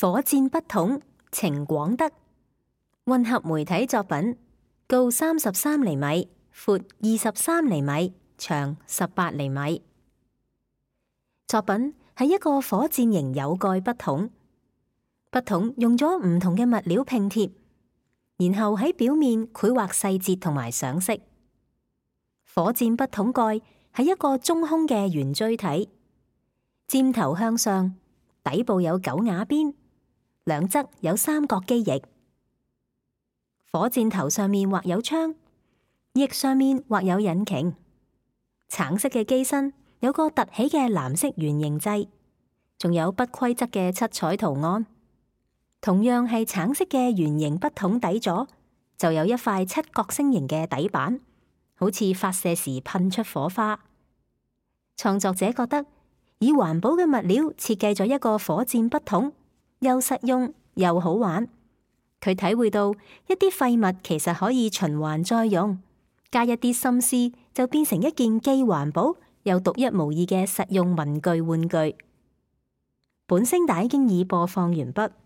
火箭筆筒，程廣德。混合媒體作品，高33厘米，闊23厘米，長18厘米。作品係一個火箭型有蓋筆筒，筆筒用咗唔同嘅物料拼貼，然後喺表面繪畫細節同埋上色。火箭筆筒蓋係一個中空嘅圓錐體，尖頭向上，底部有9瓦邊，兩側有三角機翼。火箭頭上面畫有槍，翼上面畫有引擎。橙色嘅機身有個凸起嘅藍色圓形掣，仲有不規則嘅七彩圖案。同樣係橙色嘅圓形筆筒底座，就有一塊七角星形嘅底板，好似發射時噴出火花。創作者覺得以環保嘅物料設計咗一個火箭筆筒，又實用又好玩。佢體會到一啲廢物其實可以循環再用，加一啲心思就變成一件既環保又獨一無二嘅實用文具玩具。本聲帶經已播放完畢。